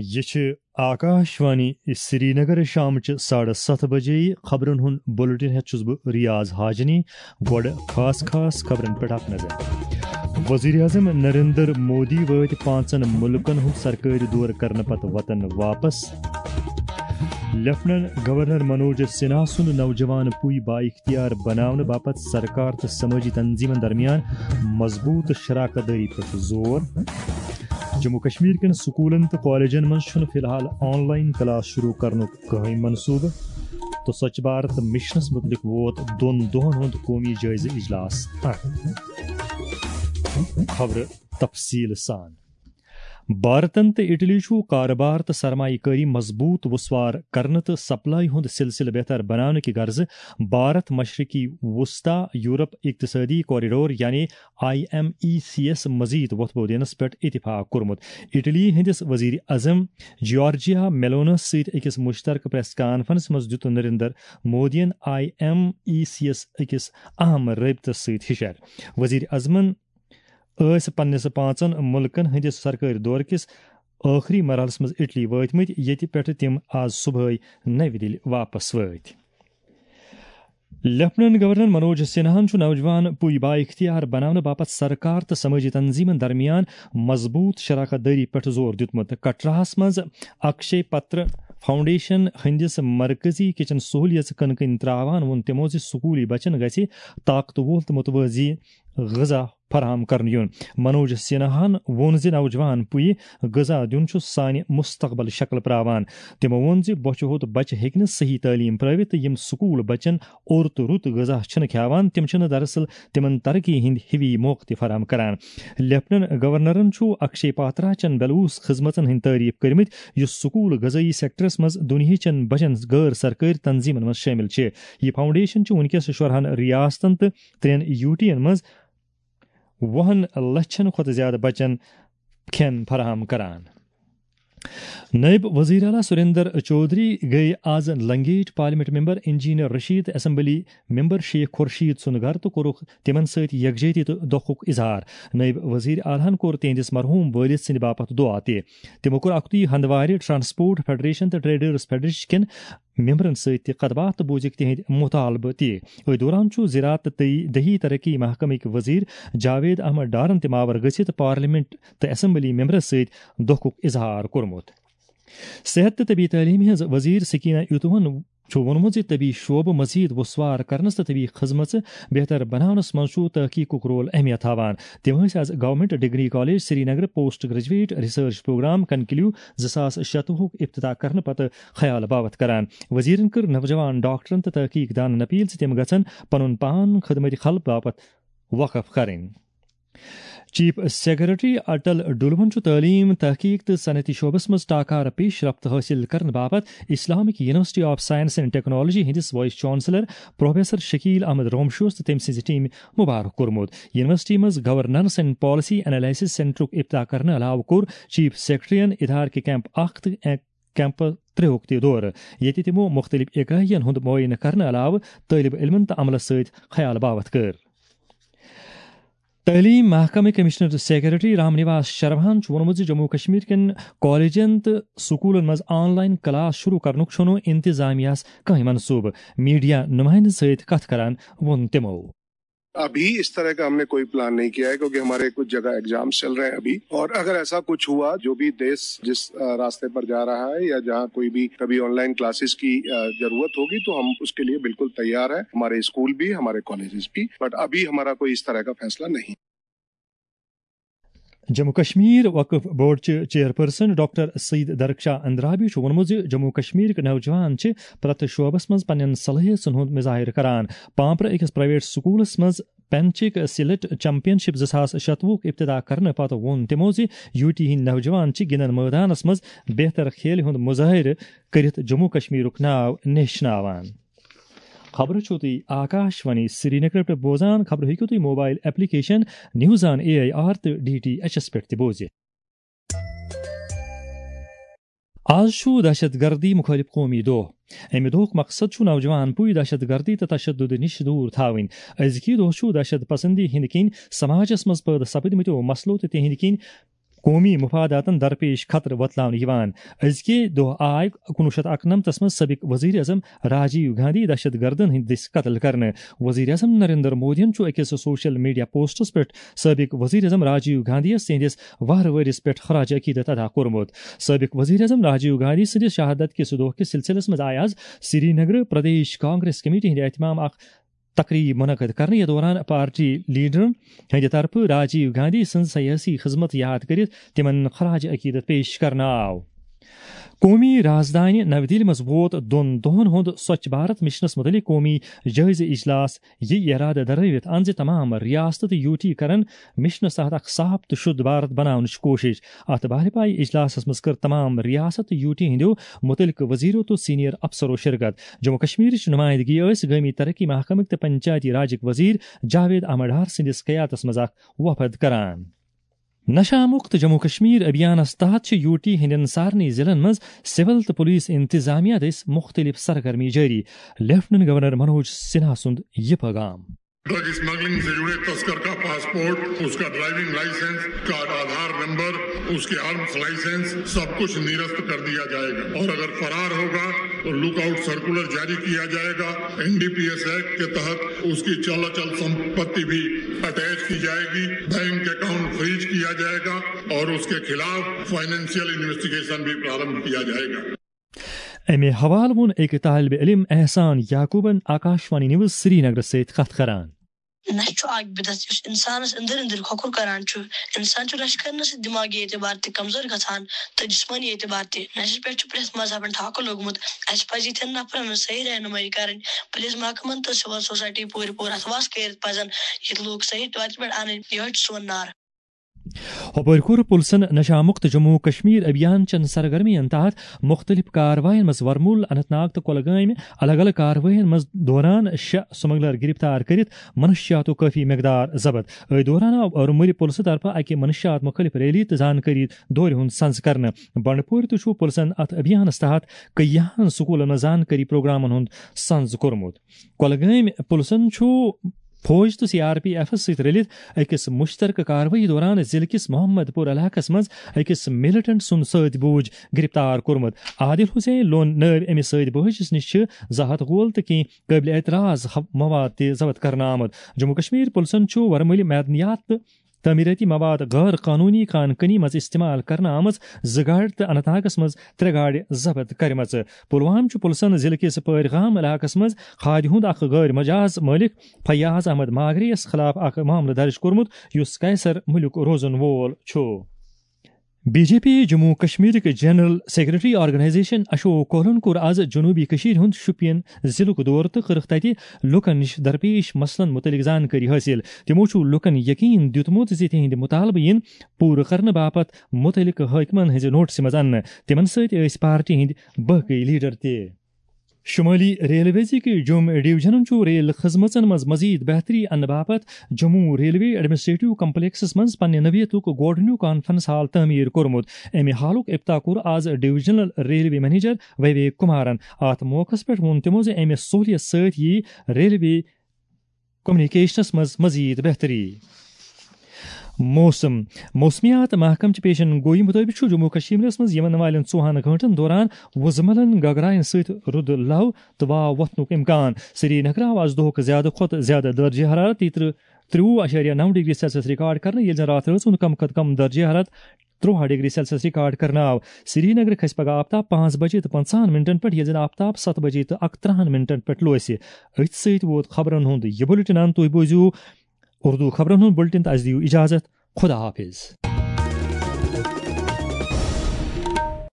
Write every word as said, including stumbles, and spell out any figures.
یہِ چھِ آکاش وانی سرینگر۔ شامچہِ ساڑٕ ستھ بجے خبرن ہُنٛد بُلٹن ہٮ۪تھ چھُس بہٕ ریاض حاجنی۔ گۄڈٕ خاص خاص خبرن پٮ۪ٹھ اکھ نظر۔ وزیر اعظم نریندر مودی وٲتۍ پانٛژن مُلکن ہُنٛد سرکٲرۍ دورٕ کرنہٕ پتہٕ وطن واپس۔ لیفٹننٹ گورنر منوج سنہا سُنٛد نوجوان پُے بااختیار بناونہٕ باپتھ سرکار تہٕ سمٲجی تنظیمن درمیان مضبوٗط شراکت دٲری پٮ۪ٹھ زور۔ جموں کشمیر کٮ۪ن سکوٗلن تہٕ کالجن منٛز چھُنہٕ فی الحال آن لائن کلاس شروع کرنُک کٕہٕنۍ منصوٗبہٕ۔ تہٕ سوچھ بھارت مشنس مُتعلق ووت دۄن دۄہن ہُنٛد قومی جٲیزٕ اجلاس اکھ۔ خبرٕ تفصیٖل سان۔ بھارتن تہٕ اٹلی چھُ کارٕبار تہٕ سرمایہ کٲری مضبوٗط وُسوار کرنہٕ تہٕ سپلائی ہُنٛد سلسلہٕ بہتر بناونہٕ کہِ غرضہٕ بھارت مشرقی وسطی یورپ اقتصٲدی کوریڈور یعنی آئی ایم ای سی یَس مزید وۄتھبو دِنَس پٮ۪ٹھ اتفاق کوٚرمُت۔ اٹلی ہٕنٛدِس وزیر اعظم جیارجیا میلونس سۭتۍ أکِس مشترکہ پریس کانفرنس منٛز دیُت نریندر مودیَن آئی ایم ای سی یَس أکِس اہم رٲبطس سۭتۍ ہشار۔ وزیر اعظمن ٲسۍ پننِس پانٛژن مُلکن ہٕنٛدِس سرکٲرۍ دورٕ کِس ٲخری مرحلس منٛز اٹلی وٲتمٕتۍ، ییٚتہِ پٮ۪ٹھٕ تِم آز صبحٲے نَوِ دِلہِ واپس وٲتۍ۔ لیفٹننٹ گورنر منوج سنہاہن چھُ نوجوان پُے بااختیار بناونہٕ باپتھ سرکار تہٕ سمٲجی تنظیمن درمیان مضبوٗط شراکت دٲری پٮ۪ٹھ زور دیُتمُت۔ کٹراہس منٛز اکشے پتر فاؤنڈیشن ہٕنٛدِس مرکزی کچن سہولیژ کٕنہٕ کٕنۍ تراوان ووٚن تِمو زِ سکوٗلی بچن گژھِ طاقتور تہٕ متوازی غذا فراہم کرنہٕ یُن۔ منوج سنہاہن ووٚن زِ نوجوان پُیہِ غذا دیُن چھُ سانہِ مستقبل شکل پراوان۔ تِمو ووٚن زِ بۄچھِ ہوٚت بچہِ ہیٚکہِ نہٕ صحیح تعلیٖم پرٲوِتھ تہٕ یِم سکوٗل بچن اوٚر تہٕ رُت غذا چھِنہٕ کھیاوان، تِم چھِنہٕ دراصل تِمن ترقی ہٕنٛدۍ ہِوی موقعہٕ تہِ فراہم کران۔ لیفٹننٹ گورنرن چھُ اکشے پاترا چٮ۪ن بلوٗس خدمژن ہٕنٛدۍ تعریف کٔرمٕتۍ، یُس سکوٗل غذٲیی سیکٹرس منٛز دُنیاہچٮ۪ن بجن غٲر سرکٲرۍ تنظیمن منٛز شٲمِل چھِ۔ یہِ فاؤنڈیشن چھُ وٕنکیٚس شُرہن ریاستن تہٕ ترٛٮ۪ن یوٗٹین منٛز وُہن لچھن کھۄتہٕ زیادٕ بچن کھٮ۪ن فراہم کران۔ نٲیِب وزیر اعلیٰ سریندر چودھری گٔیہِ آز Langate parliament member engineer Rashid, assembly member Sheikh Khurshid سُنٛد گرٕ تہٕ کوٚرُکھ تِمن سۭتۍ یکجہتی تہٕ دۄکھُک اظہار۔ نٲیِب وزیر اعلیٰ ہن کوٚر تِہنٛدِس مرحوٗم وٲلِد سٕنٛدِ باپتھ دُعا تہِ۔ تِمو کوٚر اکھتُے ہندوارِ ٹرانسپورٹ فیڈریشن تہٕ ٹریڈرز فیڈریشن کٮ۪ن ممبرن سۭتۍ تہِ کتھ باتھ تہٕ بوٗزِکھ تِہنٛدۍ مطالبہٕ تہِ۔ أتھۍ دوران چھُ زراعت تہٕ دیہی ترقی محکمٕکۍ وزیر جاوید احمد ڈارن تہِ ماور گٔژھِتھ پارلیمنٹ تہٕ اسمبلی ممبرس سۭتۍ دۄکھُک اظہار کوٚرمُت۔ صحت تہٕ طبی تعلیٖم ہٕنٛز وزیر سکینہ ایوتوہن چھُ ووٚنمُت زِ طبی شعبہٕ مزید وُسوار کرنس تہٕ طبی خدمژٕ بہتر بناونس منٛز چھُ تحقیقُک رول اہمیت تھاوان۔ تِم ٲسۍ از government degree college Srinagar post graduate research programme conclave زٕ ساس شتوُہُک افتتاح کرنہٕ پتہٕ خیال باوتھ کران۔ وزیرن کٔر نوجوان ڈاکٹرن تہٕ تحقیق دانن اپیل زِ تِم گژھن پنُن پان خدمت خلق باپتھ وقف کرٕنۍ۔ چیف سیکرٹری اٹل ڈلون چھُ تعلیٖم، تحقیق تہٕ صنعتی شعبس منٛز ٹاکار پیش رفت حٲصِل کرنہٕ باپتھ Islamic university of science and technology ہٕنٛدِس vice chancellor professor Shakeel Ahmad رومشوس تہٕ تٔمۍ سٕنٛزِ ٹیمہِ مبارک کوٚرمُت۔ یونیورسٹی منٛز گورننس اینڈ پالیسی انالیسس سینٹرُک افتتاح کرنہٕ علاوٕ کوٚر چیف سیکرٹریَن ادارٕ کہِ کیمپ اکھ تہٕ کیمپ ترٛےٚ ہُک تہِ دورٕ، ییٚتہِ تِمو مُختٔلِف اِکایَن ہُنٛد معٲینہٕ کرنہٕ علاوٕ طٲلب علمَن تہٕ عملَس سۭتۍ خیال باوتھ کٔر۔ تعلیٖم محکمہٕ کمشنر سیکرٹری رام نواس شرواہن چھُ ووٚنمُت زِ جموں کشمیر کٮ۪ن کالجن تہٕ سکوٗلن منٛز آن لائن کلاس شروع کرنُک چھُنہٕ انتظامیہ ہَس کانٛہہ منصوٗبہٕ۔ میڈیا نمائندن سۭتۍ کتھ کران ووٚن تِمو۔ अभी इस तरह का हमने कोई प्लान नहीं किया है, क्योंकि हमारे कुछ जगह एग्जाम्स चल रहे हैं अभी, और अगर ऐसा कुछ हुआ, जो भी देश जिस अ, रास्ते पर जा रहा है या जहाँ कोई भी कभी ऑनलाइन क्लासेस की अ, जरूरत होगी, तो हम उसके लिए बिल्कुल तैयार हैं, हमारे स्कूल भी, हमारे कॉलेजेस भी। बट अभी हमारा कोई इस तरह का फैसला नहीं। جموں کشمیر وقف بورڈ چہِ چیئرپرسن ڈاکٹر سعید درخشاہ اندرابی چھُ ووٚنمُت زِ جموں کشمیرٕکۍ نوجوان چھِ پرٛٮ۪تھ شعبس منٛز پننٮ۪ن صلٲحیژن ہُنٛد مظاہرٕ کران۔ پامپرٕ أکِس پرائیویٹ سکوٗلس منٛز پینچک سلیٹ چیمپین شپ زٕ ساس شتوُہُک افتتاح کرنہٕ پتہٕ ووٚن تِمو زِ یوٗ ٹی ہٕنٛدۍ نوجوان چھِ گِنٛدن مٲدانس منٛز بہتر کھیلہِ ہُنٛد مظٲہرٕ کٔرِتھ جموں کشمیرُک ناو نیشناوان۔ خبرٕ چھِو تُہۍ آکاش وانی سرینگر پٮ۪ٹھ بوزان۔ خبرٕ ہیٚکِو تُہۍ mobile application news on A I R تہٕ ڈی ٹی ایچ ایس پٮ۪ٹھ تہِ بوٗزِتھ۔ آز چھُ دہشت گردی مخٲلف قومی دۄہ۔ اَمہِ دۄہُک مقصد چھُ نوجوان پُے دہشت گردی تہٕ تشدد نِش دوٗر تھاوٕنۍ۔ أزکی دۄہ چھُ دہشت پسندی ہٕنٛدۍ کِنۍ سماجس منٛز پٲدٕ سپدمٕتیو مسلو تہٕ تِہنٛدۍ کِنۍ قومی مفاداتن درپیش خطرٕ وۄتلاونہٕ یِوان۔ أزکہِ دۄہ آے کُنوُہ شیٚتھ اَکنَمتَس منٛز سٲبق وزیر اعظم راجیو گاندھی دہشت گردن ہٕنٛدۍ دٔسۍ قتل کرنہٕ۔ وزیر اعظم نریندر مودیَن چھُ أکِس سوشل میڈیا پوسٹس پٮ۪ٹھ سٲبق وزیر اعظم راجیو گاندھیَس تِہنٛدِس وُہَر ؤرِس پٮ۪ٹھ خراج عقیدت ادا کوٚرمُت۔ سٲبق وزیر اعظم راجیو گاندھی سٕنٛدِس شہادت کِس دۄہ کِس سلسلس منٛز آیہِ آز سری نگر پردیش کانگریس کمیٹی ہٕنٛدِ اہتمام اکھ تقریب منعقد کرنہٕ، یتھ دوران پارٹی لیڈرن ہٕنٛدِ طرفہٕ راجیو گاندھی سٕنٛز سیٲسی خدمت یاد کٔرِتھ تِمن خراج عقیدت پیش کرنہٕ آو۔ قومی رازدانہِ نَوِ دِلہِ منٛز ووت دۄن دۄہَن ہُنٛد سوچھ بھارت مشنَس مُتعلِق قومی جٲیزٕ اجلاس۔ یہِ اِرادٕ دَرٲوِتھ اَن زِ تمام ریاستہٕ تہٕ یوٗ ٹی کرن مشنَس تحت اکھ صاف تہٕ شُد بھارت بناونٕچ کوٗشش۔ اَتھ بھالہِ پایہِ اجلاسَس منٛز کٔر تمام ریاست تہٕ یوٗ ٹی ہٕنٛدیو مُتعلقہٕ وزیرو تہٕ سینئر افسرو شرکت۔ جموں کشمیرٕچ نمائندگی ٲسۍ گٲمی ترقی محکمٕکۍ تہٕ پنچایتی راجٕکۍ وزیر جاوید احمد ڈار سٕنٛدِس قیادتس منٛز اکھ وفد کران۔ نشہ مکت جموں کشمیر ابھیانس تحت چھِ یوٗ ٹی ہٕنٛدٮ۪ن سارنٕے ضلعن منٛز سول تہٕ پولیس انتظامیہ دٔسۍ مُختٔلِف سرگرمی جٲری۔ لیفٹیننٹ گورنر منوج سنہا سُنٛد یہِ پیغام۔ ڈرگ اسمگلنگ سے جڑے تسکر کا پاسپورٹ، اس کا ڈرائیونگ لائسنس، کا آدھار نمبر، اس کے آرمز لائسنس، سب کچھ نرست کر دیا جائے گا اور اگر فرار ہوگا تو لک آؤٹ سرکولر جاری کیا جائے گا۔ N D P S act کے تحت اس کی چل اچل سمپتی بھی اٹیچ کی جائے گی، بینک اکاؤنٹ فریز کیا جائے گا اور اس کے خلاف فائنینشیل انویسٹیگیشن بھی پرارمبھ کیا جائے گا۔ امہِ حوالہٕ ووٚن أکۍ طالب علم احسان یعقوبن آکاشوانی نیوز سرینگرس سۭتۍ کتھ کران۔ نشہٕ چھُ اکھ بدعت یُس انسانس أنٛدٕرۍ أنٛدٕرۍ کھۄکھُر کران چھُ۔ انسان چھُ نشہٕ کرنہٕ سۭتۍ دماغی اعتبار تہِ کمزور گژھان تہٕ جسمٲنی اعتبار تہِ۔ نشس پٮ۪ٹھ چھُ پرٛٮ۪تھ مذہبن ٹھاکہٕ لوٚگمُت۔ اسہِ پزِ یِتھٮ۪ن نفرن ہٕنٛز صحیح رہنمٲیی کرٕنۍ۔ پُلیٖس محکمن تہٕ سول سوسایٹی پوٗرٕ پورٕ اتھ واس کٔرِتھ پزن یِتھۍ لوٗکھ صحیح وتہِ پٮ۪ٹھ انٕنۍ۔ یِہوٚے چھُ سون نعرٕ۔ ہۄپٲرۍ کوٚر پُلسن نشہ مُکت جموں کشمیر ابھیان چٮ۪ن سرگرمین تحت مُختٔلِف کاروٲیین منٛز ورمُل، اننت ناگ تہٕ کۄلگٲمۍ الگ الگ کاروٲیین منٛز دوران شےٚ سمگلر گرفتار کٔرِتھ منشیاتُک کٲفی مقدار ضبط۔ أتھۍ دوران آو ورمُلہِ پُلسہٕ طرفہٕ اکہِ منشیات مُخٲلف ریلی تہٕ زانکٲری دورِ ہُنٛد سنز کرنہٕ۔ بنڈپورِ تہِ چھُ پُلسن اتھ ابھیانس تحت کیاہن سکوٗلن منٛز زانکٲری پروگرامن ہُنٛد سنز کوٚرمُت۔ کۄلگٲمۍ پُلسن چھُ فوج تہٕ سی آر پی ایفس سۭتۍ رٔلِتھ أکِس مُشترکہٕ کاروٲیی دوران ضلعہٕ کِس محمد پور علاقس منٛز أکِس مِلٹنٹ سُنٛد سۭتۍ بوٗج گرفتار کوٚرمُت۔ عادل حسین لون نٲوۍ أمِس سۭتۍ بٲجِس نِش چھِ زٕ ہتھ گول تہٕ کینٛہہ قٲبلِ اعتراض ہو-، مواد تہِ ضبط کرنہٕ آمُت۔ جموں کشمیر پُلسن چھُ ورمُلہِ معدنیات تہٕ تعمیٖرٲتی مواد غٲر قانوٗنی کان کنی منٛز استعمال کرنہٕ آمٕژ زٕ گاڑِ تہٕ اننت ناگس منٛز ترٛےٚ گاڑِ ضبط کٔرمٕژ۔ پلوامہ چھُ پُلسن ضلعہٕ کِس پٲرۍ گام علاقس منٛز کھادِ ہُنٛد اکھ غٲر مجاز مٲلِک فیاض احمد ماگرے یَس خلاف اکھ معاملہٕ درج کوٚرمُت، یُس قیصر مُلک روزن وول چھُ۔ بی جے پی جموں کشمیرٕکۍ جنرل سیکرٹری آرگنائزیشن اشوک کولن کوٚر آز جنوبی کٔشیٖرِ ہُنٛد شوپین ضلعُک دورٕ تہٕ کٔرٕکھ تَتہِ لوٗکَن نِش درپیش مسلن مُتعلِق زانکٲری حٲصِل۔ تِمَو چھُ لوٗکَن یقین دیُتمُت زِ تِہنٛدۍ مُطالبہٕ یِن پوٗرٕ کرنہٕ باپتھ مُتعلِقہٕ حٲکمَن ہٕنٛزِ نوٹسہِ منٛز اَننہٕ۔ تِمَن سۭتۍ ٲسۍ پارٹی ہٕنٛدۍ باقٕے لیڈر تہِ۔ شمٲلی ریلویزٕکۍ جوٚم ڈویژنن چھُ ریل خدمژن منٛز مزید بہتری اننہٕ باپتھ جموں ریلوے ایڈمنسٹریٹو کمپلیکسس منٛز پننہِ نوعیتُک گۄڈٕنیُک کانفرنس ہال تعمیٖر کوٚرمُت۔ امہِ ہالُک افتتاح کوٚر آز divisional railway manager Vivek Kumaran. اتھ موقعس پٮ۪ٹھ ووٚن تِمو زِ امہِ سہولیت سۭتۍ یِیہِ ریلوے کمیونیکیشنس منٛز مزید بہتری۔ موسم۔ موسمیات محکمہٕ چہِ پیشن گویی مُطٲبِق چھُ جموں کشمیرس منٛز یِنہٕ والٮ۪ن ژوٚوُہن گٲنٛٹن دوران وُزملن گگراین سۭتۍ رُدٕ لو تہٕ واو وۄتھنُک امکان۔ سری نگر آو آز دۄہُک زیادٕ کھۄتہٕ زیادٕ درجہ حرارت تیٚترٕہ، ترٛوُہ اَشاریہ نَو ڈگری سیلسیس ریکارڈ کرنہٕ، ییٚلہِ زن راتھ رٲژ ہُنٛد کم کھۄتہٕ کم درجہ حرارت ترٛوہا ڈگری سیلسیس ریکارڈ کرنہٕ آو۔ سری نگر کھسہِ پگہہ آفتاب پانٛژھ بجے تہٕ پنٛژاہن منٹن پٮ۪ٹھ، ییٚلہِ زن آفتاب ستھ بجے تہٕ اکترٕہن منٹن پٮ۪ٹھ لوسہِ۔ أتھۍ سۭتۍ ووت خبرن ہُنٛد یہِ بُلٹن۔ تُہۍ بوٗزِو اردو خبرن ہُنٛد بُلٹن تہٕ اَسہِ دِیِو اجازت۔ خدا حافظ۔